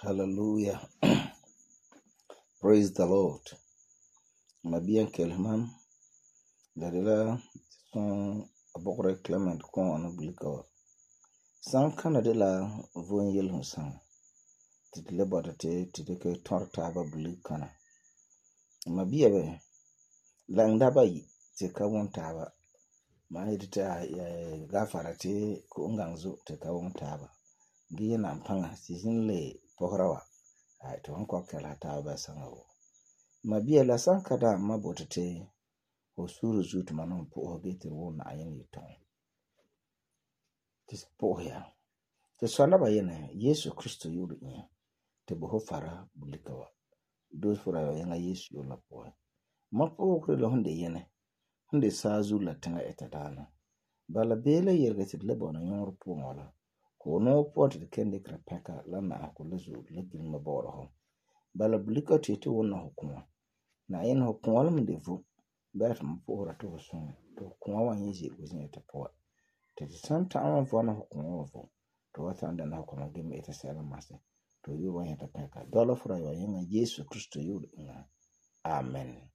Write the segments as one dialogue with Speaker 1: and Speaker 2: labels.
Speaker 1: Hallelujah. Praise the Lord. Mabiyan kelman da la son abokre Clement kon on bulikawa. San kana de la von yel hunsan. Titile bota te ke torta ba bulikana. Mabiya be langda ba yi te ka won taba. Ma yidita gafara te ko ngangzo te ka won taba. Giye na mpanga sizin le pohrawa. Ai to hon ko kala ta ba sangawo. Mabiya la sanka da mabota te ho suru zutu manon po ho gete won na ayin yiton. Tis po ya. Te sona ba yene Yesu Kristo yudu nya. Te bo ho fara bulikawa. Do fura yana Yesu yola po. Ma po kre lo honde yene. Honde sazu la tanga etadana. Bala bele yerga te le bona nyor po ngola. Ko no pot de kende krapeka la na ko lezu le gilma boro ho. Bala bulika tete wona hukuma. Na yin hukuma lam devu. Bat mpo to sun. To kuma wan yizi wuzin eta po. Te santa an vona hukuma vo. To wata anda na hukuma gime eta sela mase. To yu wan yeta peka. Dola fura yo yenga Yesu Kristo yudu nga. Amen.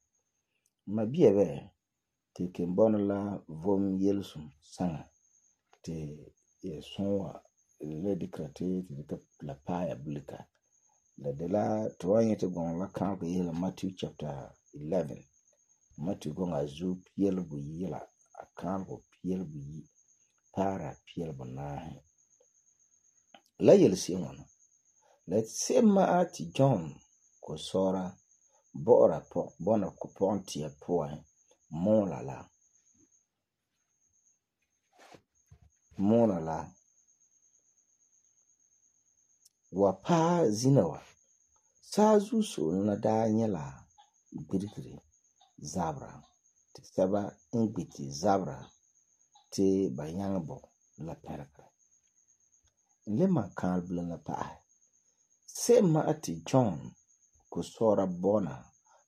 Speaker 1: Mabiya be te kembona la vom yelsum sanga. Te sonwa le dikrate te la paya bulika. La de la toanye te gon la kan yela Matthew chapter 11. Matthew gon azu piel bu yela akan go piel bu yi para piel bu na. La yel si wona. Let sema ati John ko sora bora po bona ko ponti ya poa mona la wa pa zinawa sazu so na da nyela girgiri zabra te saba ingbiti zabra te bayangbo la perka lema kan bla na pa sema ati John ko sora bona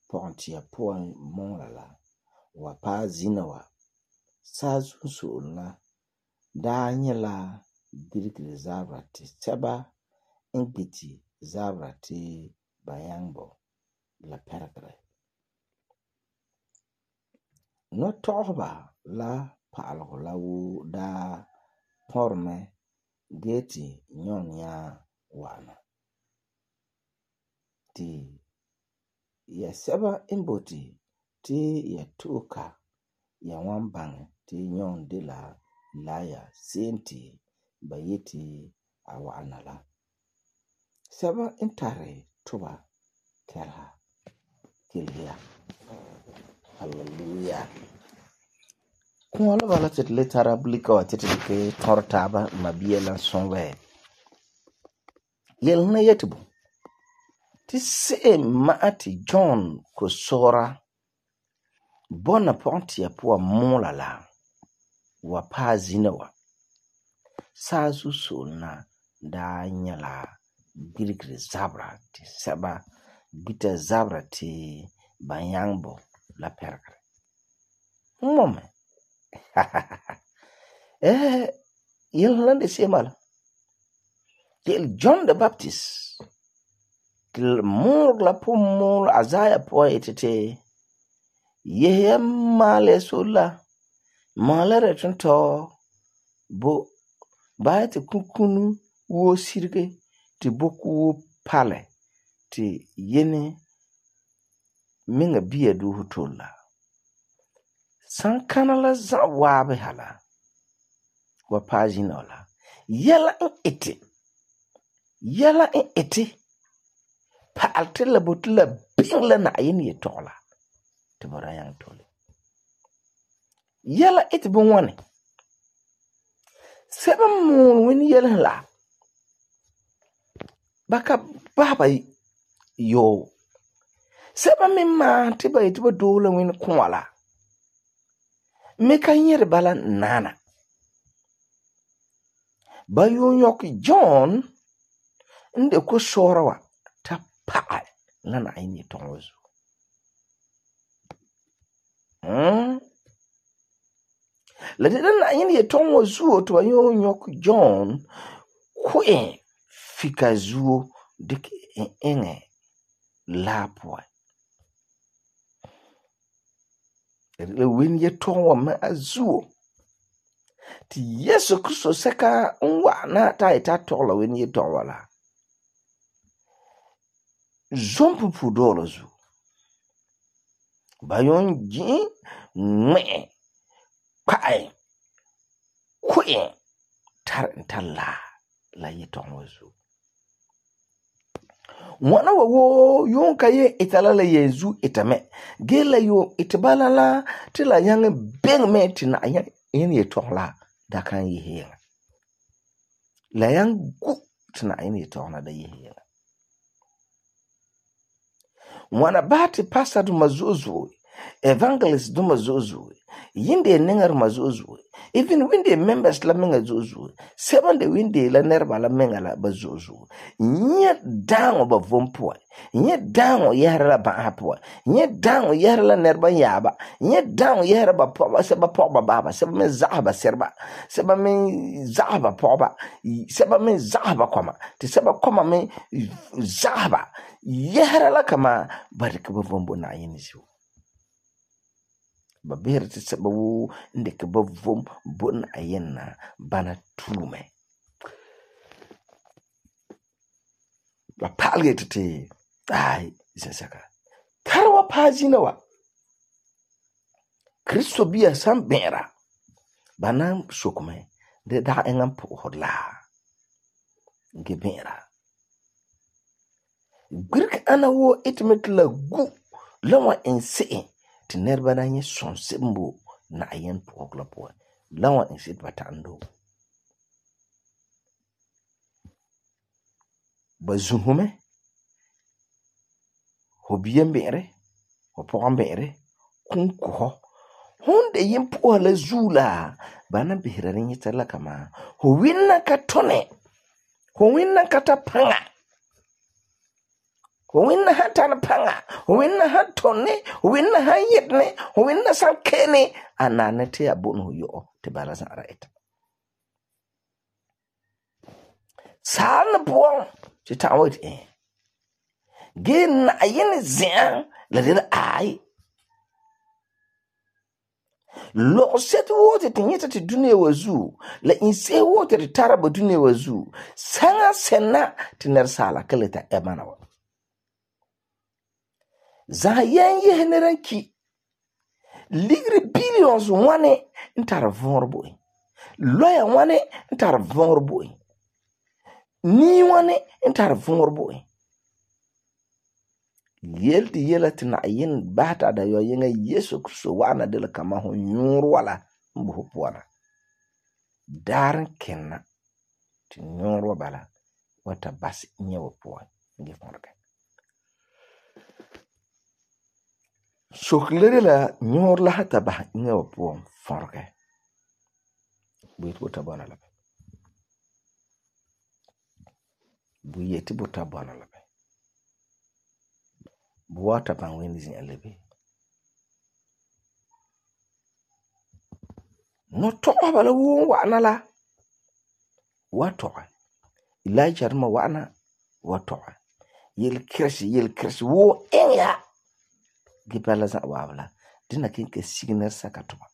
Speaker 1: ponti ya poa mona la wa pa zinawa sazu so na da nyela girgiri zabra te saba ingbiti zabra te bayangbo la perka no tohba la paalgo la wu da porme geti nyon ya wana ti ya saba imboti ti ya tuka ya wambang ti nyon de la ya senti bayeti awana la saba intare tuba kelha. Hallelujah. Kuala bala tet letara bulika wa tet ke tortaba mabiya la sonwe. Yel na yetubu. Ti se maati John ko sora bona ponti ya poa mola la wa pa zinawa. Sazu solna da nyala girgiri zabra ti saba bita zabra ti bayangbo la perka. Mome. Yelande semala. Til John the Baptist. Til mur la pumul azaya po etete. Yehe male sola. Male retunto. Bo baete kukunu wo sirge. Ti boku pale. Ti yene minga biya du hutola. Sankana la za wabe hala. Wa pagina ola. Yela in iti. Paalte la botula bingla na ayin ye tola. Tibara yang tole. Yela iti bunwane. Seba moun wini yela la. Baka baba yo. Seba mima tiba itiba dola wini kwala. Meka nyere bala nana. Bayo nyoki John nde ko sorawa ta paa lana aini tongozu. La de lana aini tongozu to bayo nyoki John kwe fikazuo dik enge la poe le wen ye ton wa ma azuo ti Yesu Kristo seka nwa na ta ita to la wen ye ton wala zompu pu dolo zu bayon ji me kai kwe tar intalla la ye ton wazu wana wo yon kaye itala la yezu itame gela yo itbala la ti la yang beng me ti na yin ye ton la da kan yi he la yang gu ti na yin ye ton la da yi he wana bati pastor du mazuzu evangelist du mazuzu yinde nengar mazuzu even winde members la menga zuzu seven de winde la nerba la menga la bazuzu nye dango ba vompo nye dango yara la ba hapo nye dango yara la nerba yaba nye dango yara ba poba seba poba baba seba me zahaba serba seba me zahaba poba seba me zahaba koma te seba koma me zahaba yara la kama barka ba vombo na yinisu ba ber ti seba wu ndeke ba vom bon ayenna bana tume ba palge tete ai saka karwa pazina wa Kristo biya sam bera bana sokume de da engam po hodla gebera girk ana wo itmet la gu lawa ense ti nerba na nye son sembo na ayen pokla po lawa ensit batando bazuhume hobiyem bere hopon bere kunko honde yimpo la zula bana bihira nye tala kama ho winna ka tone ho winna ka tapanga winna hatana panga winna hatone winna hayetne winna sankene anane te abunu yo te balaza right sana buon ti tawit gen ayen zin la de ai lo set wote tinyeta ti dunia wazu la inse wote ti taraba dunia wazu sanga sena tiner sala kaleta emana wa za yen yeneranki ligri billions wane ntar vorbo loya wane ntar vorbo ni wane ntar vorbo yelti yelati na yin bata da yo yenga Yesu Kristo wana de la kama ho nyur wala mbu puana daran kenna ti nyur bala wata bas nyewo puan ngi forka shoklere la nyur la hata ba nyewo puan forka buit wata bana la bu yeti buta bana la buwata ban wenzi alebe no to bala wo wana la wato Elijah ma wana wato yel kirsi wo enya gibala za wabla dina kinke signer sakatuma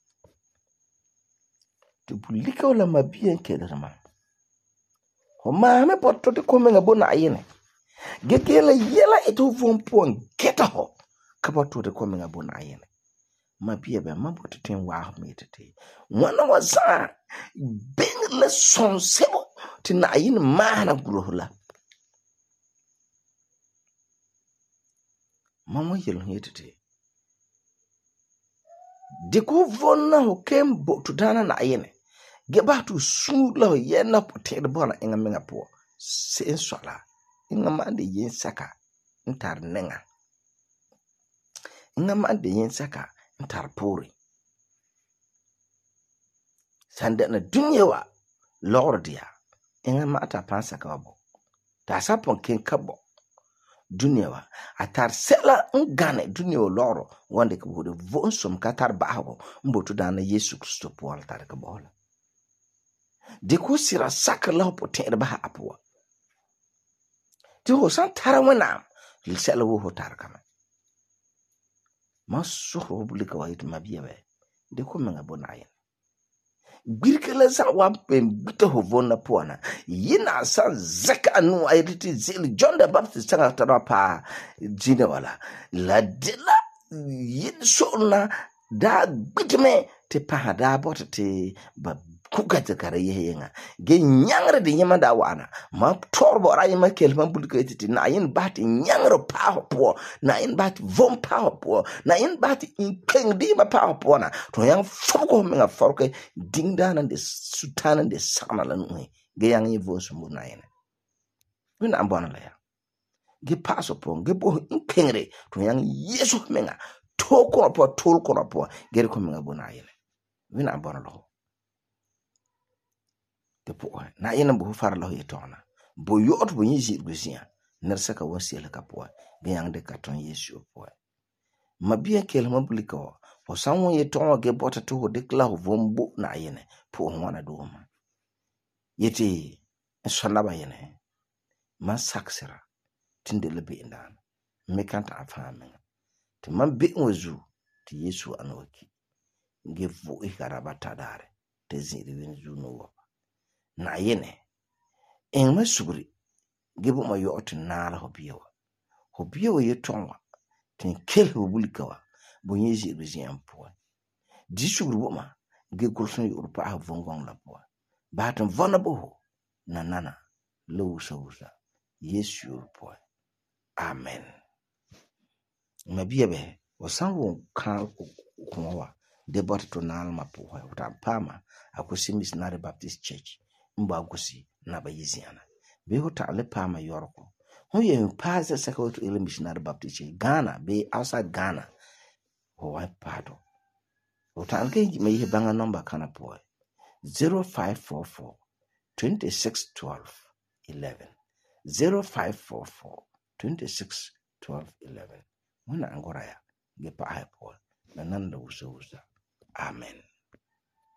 Speaker 1: to bulika wala mabiyen kederma ho ma me potto te ko menga bona ayene getela yela eto vompon geta ho kabato te ko menga bona ayene mabiye be maboto ten wa metete wana waza ben le son sebo tina ayene mana gulohla mamo yelo yetete de ko vonna ho kembo to dana na ayene geba to sula yena potere bona enga menga po se sola inga mande yen saka ntar nenga inga mande yen saka ntar pori sanda na dunyewa lordia inga mata pansa kabo ta sapon ken kabo dunyewa atar sela ngane dunyewa loro wande ko de vonsom katar baho mboto dana Yesu Kristo po altar kabo de ko sira saka la potere ba apwa Ti ho san tara wẽnnaam sɛla woo ho tara kame. Ma sohoro ho bulika wa yeti mabia bɛ de ko menga bo Na'ayenɛ. Gbirika la za'a wa pen bita ho vonna puan na. Yina san zaka anu ayeti ti zeli John the Baptist sanga tara pa jina wala. La de la yin solna da gbitme te pa da bota te ba kuka te kare yehenga. Ge nyangre de yema da wana. Ma torbo ra yema kelma bulika yeti na yin bati nyangre pa ho po. Na yin bati vom pa ho po. Na yin bati inkeng di ma pa ho po na. To yang foko menga forke dingdana de sutana de sakana la nuhe. Ge yang yi vo sumbu na yin. Wina ambona la ya. Ge paso po. Ge bo inkengre. To yang yesu menga. To kono po. Tol kono po. Ge ko menga bo na yin. Wina ambona la ho. Te po na yin bo far la ho yetona. Bo yot bo yin jit gusia. Nersaka wasiela ka po. Ge yang de katon yesu po. Mabia kelma bulika wa. Ho sanwo yeton ge bota to ho dekla ho vombo na yin. Po ho wana do ma. Yeti sonaba yin. Man saksira. Tinde lebe indan. Mekanta afahame. Te man be wazu ti yesu anoki. Ge vo ikarabata dare. Te ziri winzu no wa. Na yene en masugri gebo ma yo otin nala hobiyewa yetonwa tin kel ho bulika wa bo yezi bezian po di sugri bo ma ge kulsun yo pa ha vongong la po ba tan vulnerable na nana lo usa yesu po amen mabiya be wasanwo kan kuma de bot to nal ma po wa ta pama akosi missionary baptist church mba gusi na ba yiziana be ho ta le pa ma yorko ho ye pa se secretary to ile missionary baptist Ghana be outside Ghana ho wa pado ho ta ke me ye banga number kana po 0544 2612 11 0544 2612 11 muna angora ya ge pa ha po na nan da usa amen.